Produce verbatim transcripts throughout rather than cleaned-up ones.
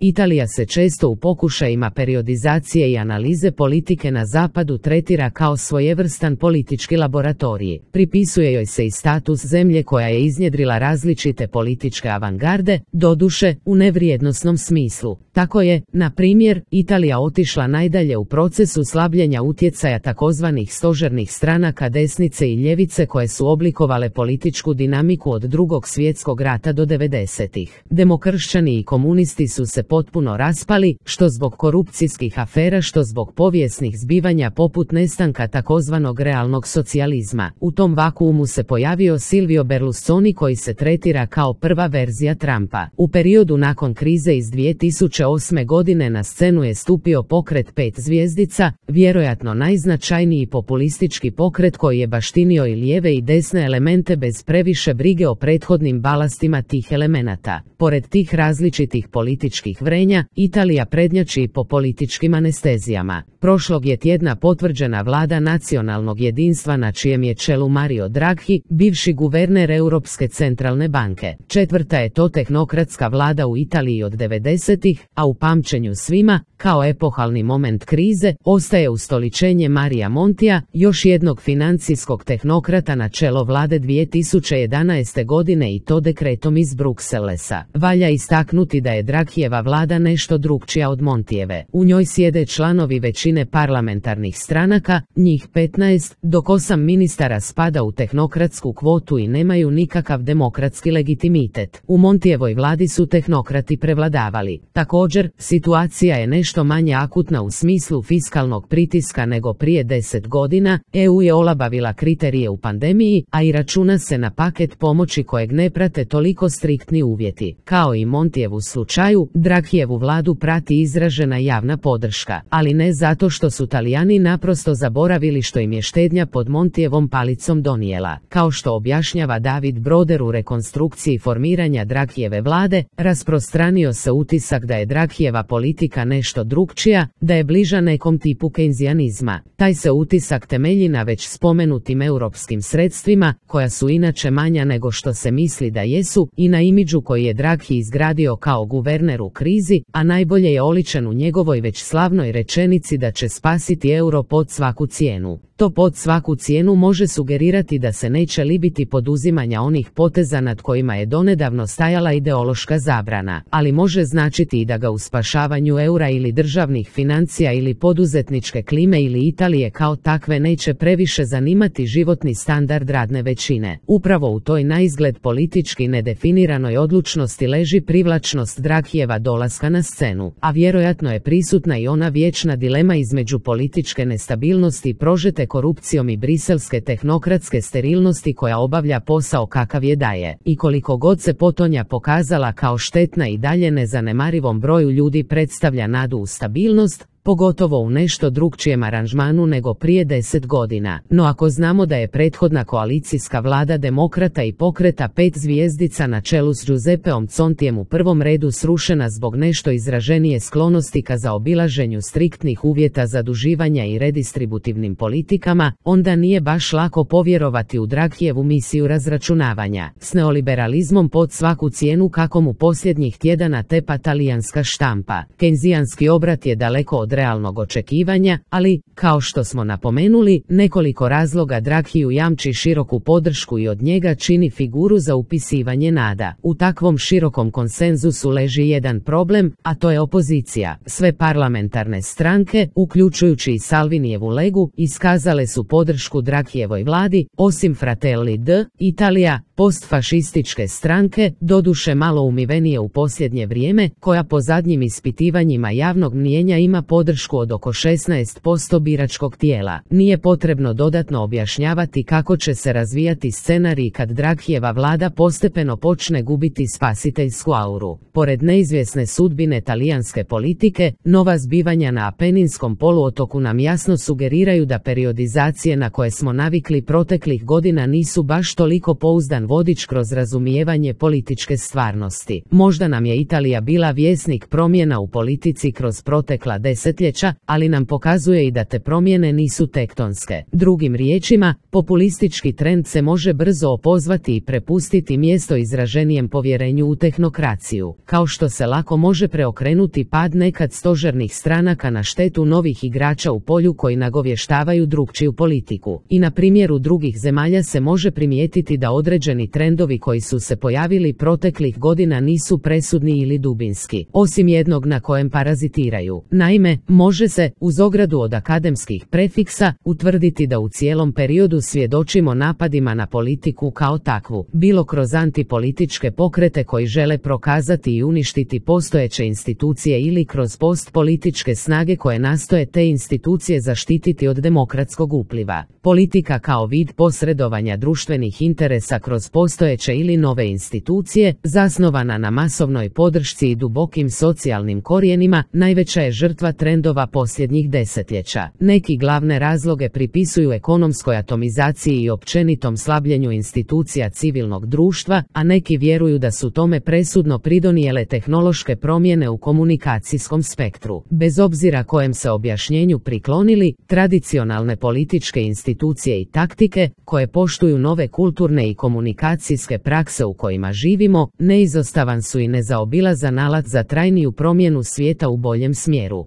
Italija se često u pokušajima periodizacije i analize politike na zapadu tretira kao svojevrstan politički laboratorij. Pripisuje joj se i status zemlje koja je iznjedrila različite političke avangarde, doduše u nevrijednosnom smislu. Tako je, na primjer, Italija otišla najdalje u procesu slabljenja utjecaja takozvanih stožernih stranaka desnice i ljevice koje su oblikovale političku dinamiku od Drugog svjetskog rata do devedesetih. Demokršćani i komunisti su se potpuno raspali, što zbog korupcijskih afera, što zbog povijesnih zbivanja poput nestanka takozvanog realnog socijalizma. U tom vakuumu se pojavio Silvio Berlusconi koji se tretira kao prva verzija Trumpa. U periodu nakon krize iz dvije tisuće osme godine na scenu je stupio pokret pet zvjezdica, vjerojatno najznačajniji populistički pokret koji je baštinio i lijeve i desne elemente bez previše brige o prethodnim balastima tih elemenata. Pored tih različitih političkih vrenja, Italija prednjači i po političkim anestezijama. Prošlog je tjedna potvrđena vlada nacionalnog jedinstva na čijem je čelu Mario Draghi, bivši guverner Europske centralne banke. Četvrta je to tehnokratska vlada u Italiji od devedesetih, a u pamćenju svima, kao epohalni moment krize, ostaje ustoličenje Maria Montija, još jednog financijskog tehnokrata na čelo vlade dvije tisuće jedanaeste godine i to dekretom iz Brukselesa. Valja istaknuti da je Draghijeva vlada nešto drukčija od Montijeve. U njoj sjede članovi većine parlamentarnih stranaka, njih petnaest, dok osam ministara spada u tehnokratsku kvotu i nemaju nikakav demokratski legitimitet. U Montijevoj vladi su tehnokrati prevladavali. Također, situacija je nešto manje akutna u smislu fiskalnog pritiska nego prije deset godina, E U je olabavila kriterije u pandemiji, a i računa se na paket pomoći kojeg ne prate toliko striktni uvjeti. Kao i Montijevu slučaju, Draghijevu vladu prati izražena javna podrška, ali ne zato što su Talijani naprosto zaboravili što im je štednja pod Montijevom palicom donijela. Kao što objašnjava David Broder u rekonstrukciji formiranja Draghijeve vlade, rasprostranio se utisak da je Draghijeva politika nešto drukčija, da je bliža nekom tipu kejnzijanizma. Taj se utisak temelji na već spomenutim europskim sredstvima, koja su inače manja nego što se misli da jesu, i na imidžu koji je Draghi izgradio kao guverner u krizi, a najbolje je oličen u njegovoj već slavnoj rečenici da će spasiti euro pod svaku cijenu. To pod svaku cijenu može sugerirati da se neće libiti poduzimanja onih poteza nad kojima je donedavno stajala ideološka zabrana, ali može značiti i da ga u spašavanju eura ili državnih financija ili poduzetničke klime ili Italije kao takve neće previše zanimati životni standard radne većine. Upravo u toj naizgled politički nedefiniranoj odlučnosti leži privlačnost Draghijeva dolaska na scenu, a vjerojatno je prisutna i ona vječna dilema između političke nestabilnosti i prožete korupcijom i briselske tehnokratske sterilnosti koja obavlja posao kakav je daje. I koliko god se potonja pokazala kao štetna i dalje nezanemarivom broju ljudi predstavlja nadu u stabilnost, pogotovo u nešto drukčijem aranžmanu nego prije deset godina. No ako znamo da je prethodna koalicijska vlada demokrata i pokreta pet zvijezdica na čelu s Giuseppeom Contijem u prvom redu srušena zbog nešto izraženije sklonosti ka zaobilaženju striktnih uvjeta zaduživanja i redistributivnim politikama, onda nije baš lako povjerovati u Draghijevu misiju razračunavanja s neoliberalizmom pod svaku cijenu kako mu posljednjih tjedana tepa talijanska štampa. Kejnzijanski obrat je daleko od realnog očekivanja, ali, kao što smo napomenuli, nekoliko razloga Draghiju jamči široku podršku i od njega čini figuru za upisivanje nada. U takvom širokom konsenzusu leži jedan problem, a to je opozicija. Sve parlamentarne stranke, uključujući i Salvinijevu Legu, iskazale su podršku Draghijevoj vladi, osim Fratelli d'Italia, postfašističke stranke, doduše malo umivenije u posljednje vrijeme, koja po zadnjim ispitivanjima javnog mnijenja ima podršku od oko šesnaest posto biračkog tijela. Nije potrebno dodatno objašnjavati kako će se razvijati scenarij kad Draghijeva vlada postepeno počne gubiti spasiteljsku auru. Pored neizvjesne sudbine talijanske politike, nova zbivanja na Apeninskom poluotoku nam jasno sugeriraju da periodizacije na koje smo navikli proteklih godina nisu baš toliko pouzdan vodič kroz razumijevanje političke stvarnosti. Možda nam je Italija bila vjesnik promjena u politici kroz protekla desetljeća, desetljeća, ali nam pokazuje i da te promjene nisu tektonske. Drugim riječima, populistički trend se može brzo opozvati i prepustiti mjesto izraženijem povjerenju u tehnokraciju, kao što se lako može preokrenuti pad nekad stožernih stranaka na štetu novih igrača u polju koji nagovještavaju drukčiju politiku. I na primjeru drugih zemalja se može primijetiti da određeni trendovi koji su se pojavili proteklih godina nisu presudni ili dubinski, osim jednog na kojem parazitiraju. Naime, može se, uz ogradu od akademskih prefiksa, utvrditi da u cijelom periodu svjedočimo napadima na politiku kao takvu, bilo kroz antipolitičke pokrete koji žele prokazati i uništiti postojeće institucije ili kroz postpolitičke snage koje nastoje te institucije zaštititi od demokratskog upliva. Politika kao vid posredovanja društvenih interesa kroz postojeće ili nove institucije, zasnovana na masovnoj podršci i dubokim socijalnim korijenima, najveća je žrtva trendova posljednjih desetljeća. Neki glavne razloge pripisuju ekonomskoj atomizaciji i općenitom slabljenju institucija civilnog društva, a neki vjeruju da su tome presudno pridonijele tehnološke promjene u komunikacijskom spektru. Bez obzira kojem se objašnjenju priklonili, tradicionalne političke institucije i taktike, koje poštuju nove kulturne i komunikacijske prakse u kojima živimo, neizostavan su i nezaobilazan alat za trajniju promjenu svijeta u boljem smjeru.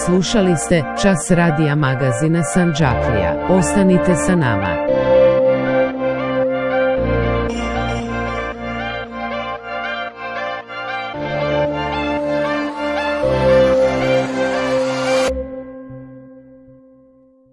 Slušali ste Čas radija magazina Sandžaklija. Ostanite sa nama.